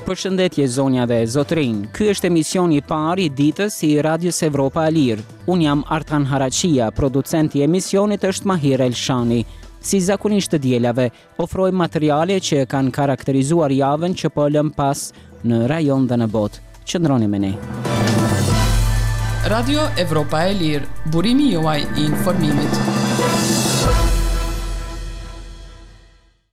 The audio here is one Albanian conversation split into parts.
Përshëndetje zonja dhe zotërinj. Ky është emisioni i parë i ditës i Radios Evropa e Lirë. Unë jam Artan Haraqia, producenti i emisionit është Mahir Elshani. Si zakonisht të dielave, Ofrojmë materiale që e kanë karakterizuar javën që po e lëmë pas në rajon dhe në botë. Qëndroni me ne. Radio Evropa e Lirë, burimi juaj i informimit.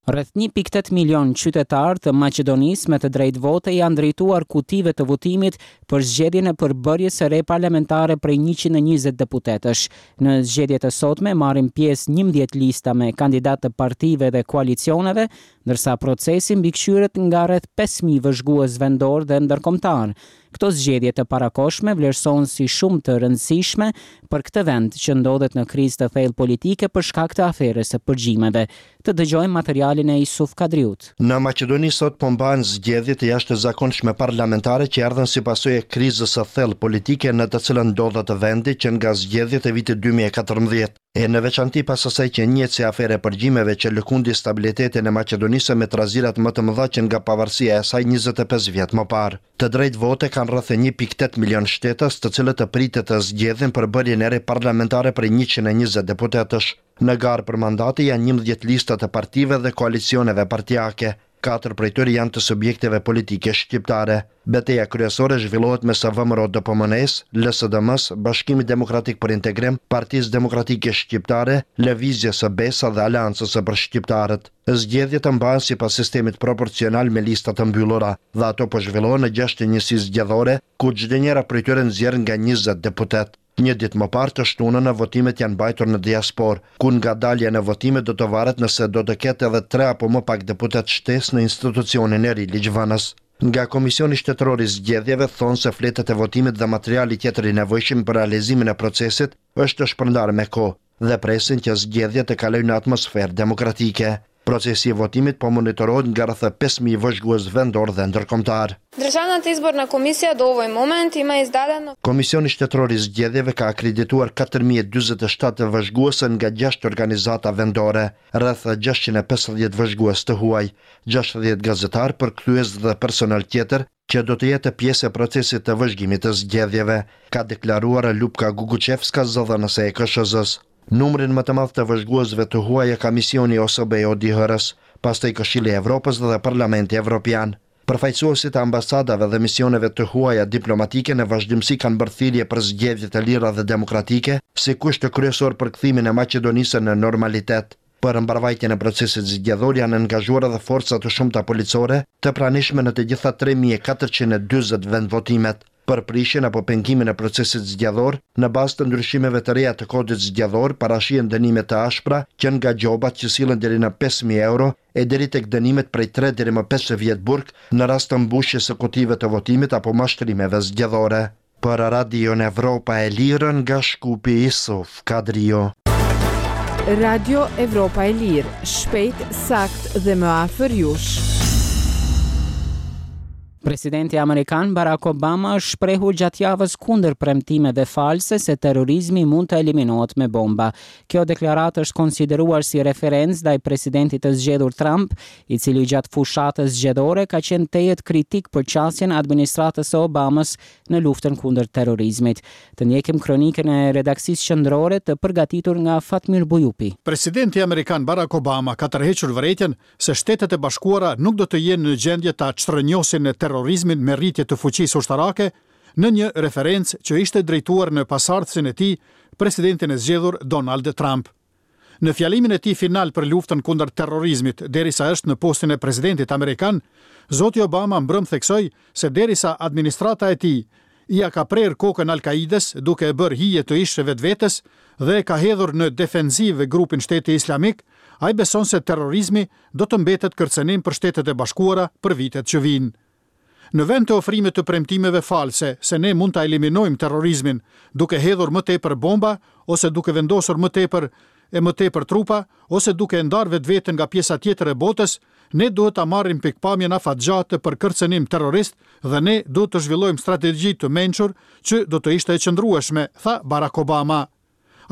Rreth 1.8 milion qytetarë të Maqedonisë me të drejtë vote janë drejtuar kutive të votimit për zgjedhjen e përbërjes së re parlamentare prej 120 deputetësh. Në zgjedhjet e sotme marrin pjesë 11 lista me kandidatë të partive dhe koalicioneve, ndërsa procesi mbikëqyret nga rreth 5.000 vëzhgues vendorë dhe ndërkombëtarë. Këto zgjedhje të parakohshme vlerësohen si shumë të rëndësishme për këtë vend që ndodhet në krizë të thellë politike për shkak të aferës së përgjimeve. Të dëgjojmë materialin e Isuf Kadriut. Në Maqedoni sot po mbahen zgjedhje të jashtëzakonshme parlamentare që erdhën si pasojë e krizës së thellë politike në të cilën ndodhet vendi që nga zgjedhjet e vitit 2014, e në veçanti pas asaj që njihet si aferë e përgjimeve që lëkundi stabilitetin e Maqedonisë me trazirat më të mëdha që nga pavarësia e saj 25 vjet më parë. Të drejtë vote kanë rreth 1.8 milion shtetas, të cilët pritet të zgjedhin përbërjen e re parlamentare prej 120 deputetësh. Në garë për mandate janë 11 lista të partive dhe koalicioneve partiake. Katër prej tyre janë të subjekteve politike shqiptare. Beteja kryesore zhvillohet mes VMRO DPMNE-s, LSDM-s, Bashkimit Demokratik për Integrim, Partisë Demokratike Shqiptare, Lëvizjes së Besa dhe Aleancës për Shqiptarët. Zgjedhjet mbahen sipas sistemit proporcional me lista të mbyllura dhe ato po zhvillohen në 6 njësi zgjedhore, ku çdo njëra prej tyre nxjerr nga 20 deputet. Një ditë më parë të shtunën votimet janë mbajtur në diasporë, ku nga dalja në votime do të varet nëse do të ketë edhe tre apo më pak deputet shtesë në institucionin e ri ligjvënës. Nga Komisioni Shtetëror i Zgjedhjeve thonë se fletët e votimit dhe materiali tjetër i nevojshëm për realizimin e procesit është shpërndarë me kohë dhe presin që zgjedhjet të kalojnë në atmosferë demokratike. Procesi i votimit po monitorohet nga rreth 5000 vëzhgues vendor dhe ndërkombëtar. Државната изборна комисија до овој момент има издадено Komisioni Shtetëror i Zgjedhjeve ka akredituar 4047 vëzhgues nga 6 organizata vendore, rreth 650 vëzhgues të huaj, 60 gazetar, përkthyes dhe personel tjetër që do të jetë pjesë e procesit të vëzhgimit të zgjedhjeve, ka deklaruar Lupka Guguçevska, zëdhënëse e KSHZ-s. Numrin më të madh të vëzhguesve të huaj e ka misioni OSBE ODIHR-s, pastaj Këshilli i Evropës dhe Parlamenti Evropian. Përfaqësuesit e ambasadave dhe misioneve të huaja diplomatike në vazhdimësi kanë bërë thirrje për zgjedhje të lira dhe demokratike, si kusht kryesor për kthimin e Maqedonisë në normalitet. Për mbarvajtjen e procesit zgjedhor janë angazhuar edhe forca të shumta policore të pranishme në të gjitha 3440 vendvotimet. Për prishjen apo pengimin e procesit zgjedhor, në bazë të ndryshimeve të reja të kodit zgjedhor, parashihen dënime të ashpra që nga gjobat që sillen deri në 5000 euro e deri tek dënimet prej 3 deri më 5 vjet burg në rast të mbushjes së kutive të votimit apo mashtrimeve zgjedhore. Për Radion Evropa e Lirë nga Shkupi Isuf Kadrio. Radio Evropa e Lirë, shpejt, sakt dhe më afër jush. Presidenti amerikan Barack Obama është shprehur gjatë javës kundër premtimeve false se terrorizmi mund të eliminohet me bomba. Kjo deklaratë është konsideruar si referencë ndaj presidentit të zgjedhur Trump, i cili gjatë fushatës zgjedhore ka qenë tejet kritik për qasjen e administratës së Obamës në luftën kundër terrorizmit. Të ndjekim kronikën e redaksisë qendrore të përgatitur nga Fatmir Bujupi. Presidenti amerikan Barack Obama ka tërhequr vërejtjen se Shtetet e Bashkuara nuk do të jenë në gjendje ta çrrënjosin terrorizmin me rritje të fuqisë ushtarake, në një referencë që ishte drejtuar në pasardhësin e tij, presidentin e zgjedhur Donald Trump. Në fjalimin e tij final për luftën kundër terrorizmit, derisa është në postin e presidentit amerikan, zoti Obama mbrëm theksoi se derisa administrata e tij ia ka prerë kokën Al-Kaides duke e bërë hije të ish vetvetes dhe e ka hedhur në defensivë grupin Shteti Islamik, ai beson se terrorizmi do të mbetet kërcënim për Shtetet e Bashkuara për vitet që vijnë. Në vend të ofrimit të premtimeve false se ne mund ta eliminojmë terrorizmin duke hedhur më tepër bomba ose duke vendosur më tepër e më tepër trupa ose duke e ndarë vetveten nga pjesa tjetër e botës, ne duhet ta marrim pikëpamjen afatgjatë për kërcënim terrorist dhe ne duhet të zhvillojmë strategji të mençur që do të ishte e qëndrueshme, tha Barack Obama.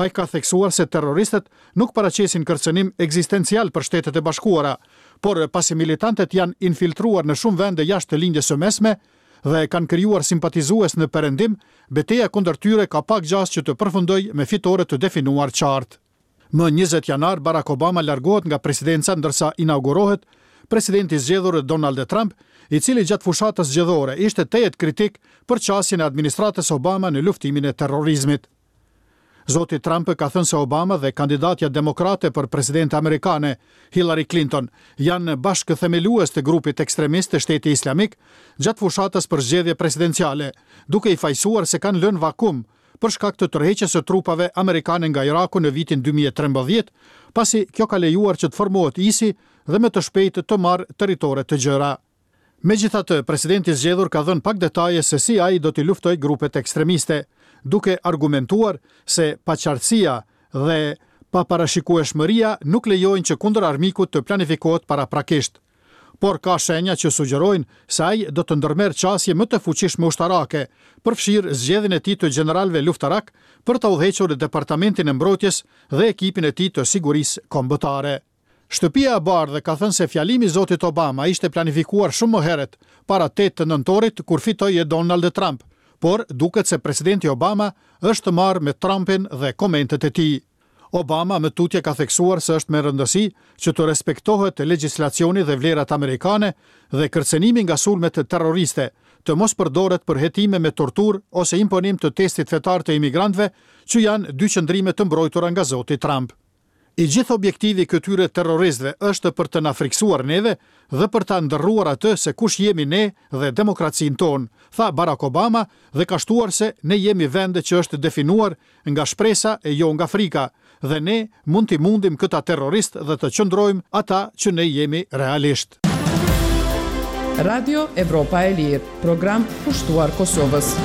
Ai ka theksuar se terroristët nuk paraqesin kërcënim ekzistencial për Shtetet e Bashkuara, Por pasi militantët janë infiltruar në shumë vende jashtë Lindjes së Mesme dhe kanë krijuar simpatizues në Perëndim, beteja kundër tyre ka pak gjasë që të përfundojë me fitore të definuar qartë. Më 20 janar, Barack Obama largohet nga presidenca ndërsa inaugurohet presidenti i zgjedhur Donald Trump, i cili gjatë fushatës zgjedhore ishte tejet kritik për qasjen e administratës Obama në luftimin e terrorizmit. Zoti Trump ka thënë se Obama dhe kandidatja demokrate për presidente amerikane, Hillary Clinton, janë bashkëthemelues të grupit ekstremist të Shteti Islamik gjatë fushatës për zgjedhje presidenciale, duke i fajësuar se kanë lënë vakum për shkak të tërheqjes së trupave amerikane nga Iraku në vitin 2013, pasi kjo ka lejuar që të formohet ISI dhe me të shpejtë të marrë territore të gjera. Megjithatë, presidenti i zgjedhur ka dhënë pak detaje se si ai do t'i luftojë grupet ekstremiste, duke argumentuar se paqartësia dhe paparashikueshmëria nuk lejojnë që kundër armikut të planifikohet paraprakisht. Por ka shenja që sugjerojnë se ai do të ndërmerr qasje më të fuqishme ushtarake, përfshirë zgjedhjen e tij të gjeneralëve luftarakë për ta udhëhequr Departamentin e Mbrojtjes dhe ekipin e tij të sigurisë kombëtare. Shtëpia e Bardhë ka thënë se fjalimi i zotit Obama ishte planifikuar shumë më herët, para 8 nëntorit kur fitoi Donald Trump, por duket se presidenti Obama është marrë me Trumpin dhe komentet e tij. Obama më tutje ka theksuar se është me rëndësi që të respektohet legjislacioni dhe vlerat amerikane dhe kërcënimi nga sulmet terroriste, të mos përdoret për hetime me torturë ose imponim të testit fetar të imigrantëve, që janë dy qëndrime të mbrojtura nga zoti Trump. I gjithë objektivi i këtyre terroristëve është për të na frikësuar neve dhe për ta ndërruar atë se kush jemi ne dhe demokracinë tonë, tha Barack Obama dhe ka shtuar se ne jemi vend që është definuar nga shpresa e jo nga frika dhe ne mund t'i mundim këta terroristë dhe të qëndrojmë ata që ne jemi realisht. Radio Evropa e Lirë, program kushtuar Kosovës.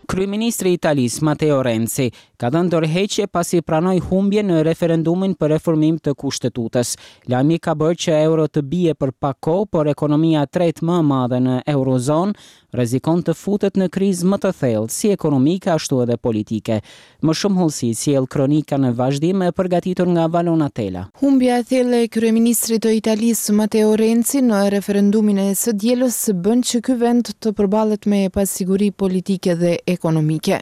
Kryeministri i Italisë, Matteo Renzi, ka dhënë dorëheqje pasi pranoi humbjen në referendumin për reformim të Kushtetutës. Lajmi ka bërë që euro të bie për pak kohë, por ekonomia e tretë më e madhe në eurozonë rrezikon të futet në krizë më të thellë, si ekonomike ashtu edhe politike. Më shumë hollësi sjell kronika në vazhdim e përgatitur nga Valona Tela. Humbja e thellë e kryeministrit të Italisë, Matteo Renzi, në referendumin e së dielës bën që ky vend të përballet me pasiguri politike dhe ekonomike.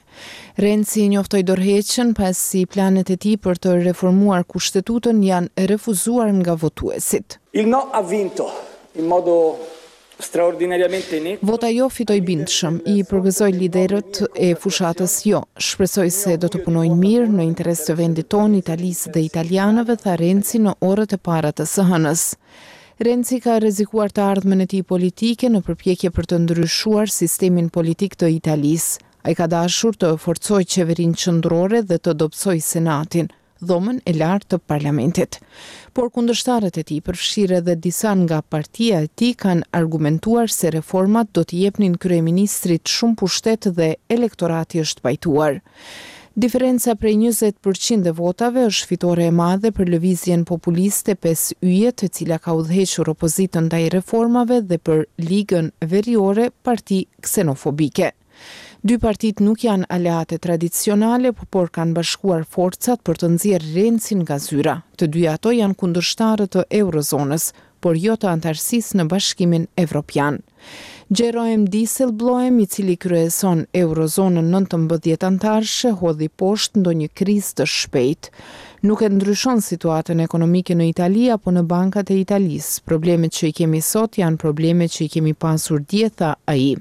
Renzi njoftoi dorëheqjen pasi planet e tij për të reformuar kushtetutën janë refuzuar nga votuesit. Il no ha vinto in modo Vota jo fitoi bindshëm. I përgëzoj liderët e fushatës jo. Shpresoj se do të punojnë mirë në interes të vendit tonë, Italisë dhe italianëve, tha Renzi në orët e para të së hënës. Renzi ka rrezikuar të ardhmen e tij politike në përpjekje për të ndryshuar sistemin politik të Italisë. Ai ka dashur të forcojë qeverinë qendrore dhe të dobësojë Senatin. dhomën e lartë të parlamentit. Por kundërshtarët e tij, përfshirë edhe disa nga partia e tij, kanë argumentuar se reformat do t'i jepnin kryeministrit shumë pushtet dhe elektorati është pajtuar. Diferenca prej 20 për qind e votave është fitore e madhe për lëvizjen populiste Pesë Yjet, e cila ka udhëhequr opozitën ndaj reformave dhe për Ligën Veriore, parti ksenofobike. Dy partitë nuk janë aleate tradicionale, por kanë bashkuar forcat për të nxjerrë Rencin nga zyra. Të dyja ato janë kundërshtarë të eurozonës, por jo të anëtarësisë në Bashkimin Evropian. Jeroen Dijsselbloem, i cili kryeson eurozonën 19 anëtarëshe, hodhi poshtë ndonjë krizë të shpejtë. Nuk e ndryshon situatën ekonomike në Itali apo në bankat e Italisë. Problemet që i kemi sot janë probleme që i kemi pasur dje, tha ai.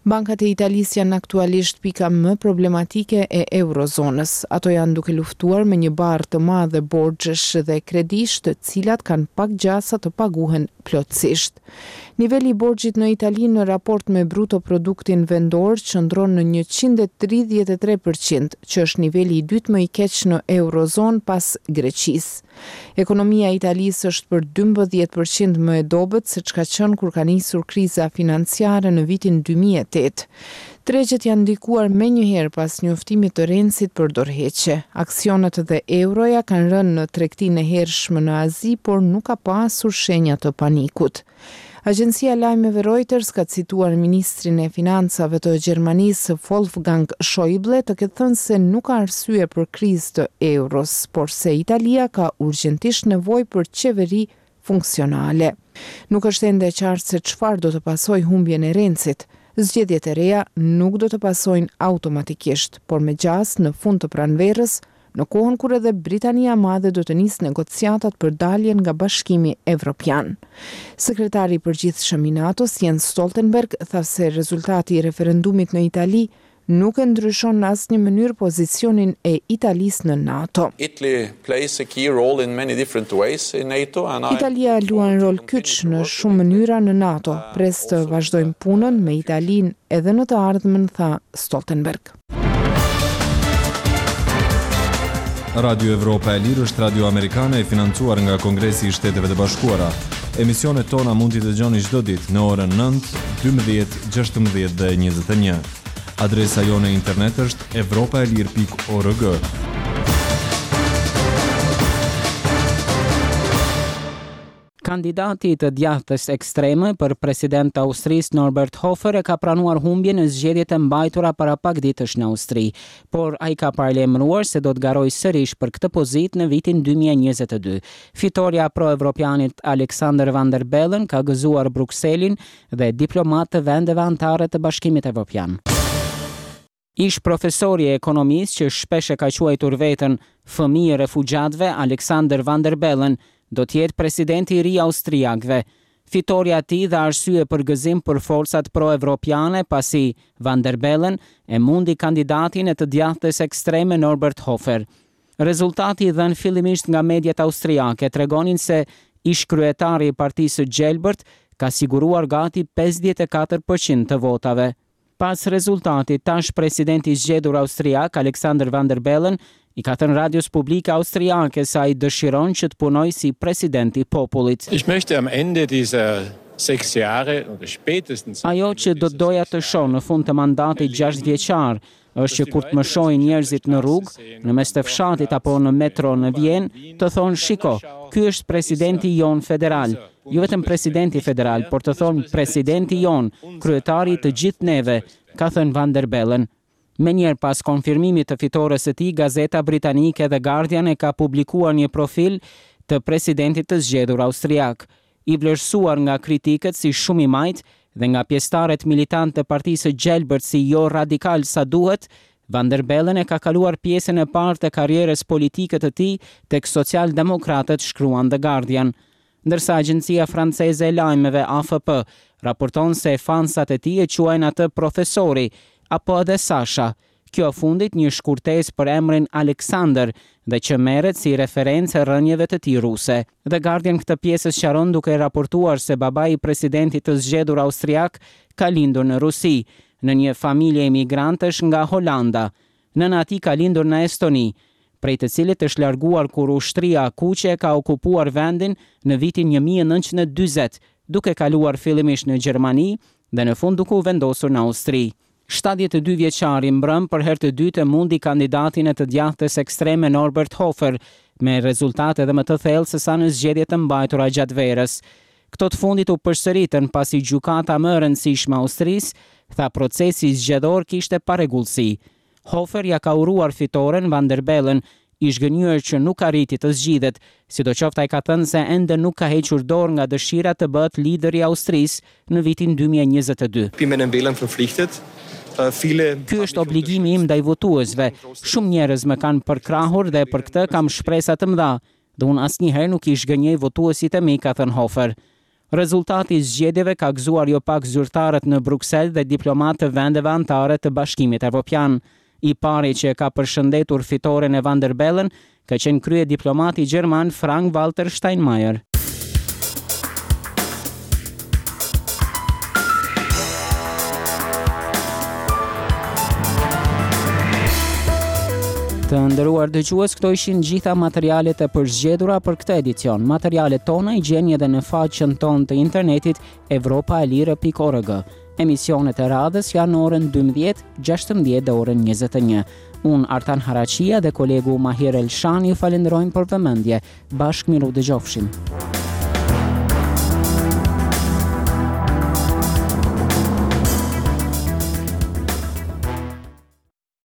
Bankat e Italisë janë aktualisht pika më problematike e eurozonës. Ato janë duke luftuar me një barrë të madhe borxhesh dhe kredish, të cilat kanë pak gjasa të paguhen plotësisht. Niveli i borxhit në Itali në raport me bruto produktin vendor qëndron në 133 për qind, që është niveli i dytë më i keq në eurozonë pas Greqisë. Ekonomia e Italisë është për 12 për qind më e dobët se ç'ka qenë kur ka nisur kriza financiare në vitin 2008. Tregjet janë ndikuar menjëherë pas njoftimit të Rencit për dorëheqje. Aksionet dhe euroja kanë rënë në tregtinë e hershme në Azi, por nuk ka pasur shenja të panikut. Agjencia e lajmeve Reuters ka cituar ministrin e Financave të Gjermanisë, Wolfgang Schäuble të ketë thënë se nuk ka arsye për krizë të euros, por se Italia ka urgjentisht nevojë për qeveri funksionale. Nuk është ende e qartë se çfarë do të pasojë humbjen e Rencit. Zgjedhjet e reja nuk do të pasojnë automatikisht, por me gjasë në fund të pranverës, në kohën kur edhe Britania e Madhe do të nisë negociatat për daljen nga Bashkimi Evropian. Sekretari i Përgjithshëm i NATO-s, Jens Stoltenberg, tha se rezultati i referendumit në Itali nuk e ndryshon në asnjë mënyrë pozicionin e Italisë në NATO. Italia luan rol kyç në shumë mënyra në NATO. Pres të vazhdojmë punën me Italinë edhe në të ardhmen, tha Stoltenberg. Radio Evropa e Lirë është radio amerikane e financuar nga Kongresi i Shteteve të Bashkuara. Emisionet tona mund t'i dëgjoni çdo ditë në orën 9, 12, 16 dhe 21. Adresa jonë e internet është evropaelire.org. Kandidati i të djathtës ekstreme për president të Austrisë, Norbert Hofer e ka pranuar humbjen në zgjedhjet e mbajtura para pak ditësh në Austri. Por ai ka paralajmëruar se do të garojë sërish për këtë pozitë në vitin 2022. Fitorja e pro-evropianit Alexander Van der Bellen ka gëzuar Brukselin dhe diplomatë të vendeve anëtare të Bashkimit Evropian. Ish-profesori i ekonomisë që shpesh e ka quajtur veten fëmijë i refugjatëve, Alexander Van der Bellen, do të jetë presidenti i ri i austriakëve. Fitorja e tij dha arsye për gëzim për forcat pro-evropiane pasi Van der Bellen e mundi kandidatin e të djathtës ekstreme Norbert Hofer. Rezultati i dhënë fillimisht nga mediat austriake tregonin se ish-kryetari i Partisë së Gjelbërt ka siguruar gati 54 për qind të votave. Pas rezultatit, tash presidenti i zgjedhur austriak, Alexander Van der Bellen, i ka thënë radios publike austriake se ai dëshiron që të punojë si president i popullit. Ich möchte am Ende dieser sechs Jahre oder spätestens Ajo që do të doja të shoh në fund të mandatit gjashtëvjeçar, është që kur të më shohin njerëzit në rrugë, në mes të fshatit apo në metro në Vjenë, të thonë shiko, ky është presidenti jonë federal. Jo vetëm presidenti federal, por të thonë presidenti jonë, kryetari i të gjithë neve, ka thënë Van der Bellen. Menjëherë pas konfirmimit të fitores së tij, gazeta britanike The Guardian e ka publikuar një profil të presidentit të zgjedhur austriak. I vlerësuar nga kritikët si shumë i majtë dhe nga pjesëtarët militantë të Partisë së Gjelbërt si jo radikal sa duhet, Van der Bellen e ka kaluar pjesën e parë të karrierës politike të tij tek socialdemokratët, shkruan The Guardian. Ndërsa agjencia franceze e lajmeve AFP raporton se fansat e tij e quajnë atë profesori, apo edhe Sasha, Kjo e fundit një shkurtesë për emrin Alexander dhe që merret si referencë e rrënjëve të tij ruse. The Guardian këtë pjesë e sqaron duke raportuar se babai i presidentit të zgjedhur austriak ka lindur në Rusi, në një familje emigrantësh nga Holanda. Nëna e tij ka lindur në Estoni, prej të cilit është larguar kur Ushtria e Kuqe ka okupuar vendin në vitin 1940, duke kaluar fillimisht në Gjermani dhe në fund duke u vendosur në Austri. 72 vjeçari mbrëmë për herë të dytë e mundi kandidatin e të djathtës ekstreme Norbert Hofer, me rezultat edhe më të thellë se sa në zgjedhjet e mbajtura gjatë verës. Këto të fundit u përsëritën pasi gjykata më e rëndësishme e Austrisë tha procesi zgjedhor kishte parregullsi. Hofer ia ka uruar fitoren Van der Bellen, i zhgënjyer që nuk arriti të zgjidhet. Sidoqoftë ai ka thënë se ende nuk ka hequr dorë nga dëshira të bëhet lider i Austrisë në vitin 2022. Bin meinen Wählern verpflichtet. Ky është obligimi im ndaj votuesve. Shumë njerëz më kanë përkrahur dhe për këtë kam shpresa të mëdha. Dhe unë asnjëherë nuk i zhgënjej votuesit e mi, ka thënë Hofer. Rezultati i zgjedhjeve ka gëzuar jo pak zyrtarët në Bruksel dhe diplomatë të vendeve anëtare të Bashkimit Evropian. I pari që e ka përshëndetur fitoren e Van der Bellen ka qenë kryediplomati gjerman Frank-Walter Steinmeier. Të nderuar dëgjues, këto ishin gjitha materialet e përzgjedhura për këtë edicion. Materialet tona i gjeni edhe në faqen tonë të internetit evropaelire.org. Emisionet e radhës janë në orën 12, 16 dhe orën 21. Unë Artan Haraqia dhe kolegu Mahir Elshani ju falënderojmë për vëmendje. Bashkë mirudëgjofshim.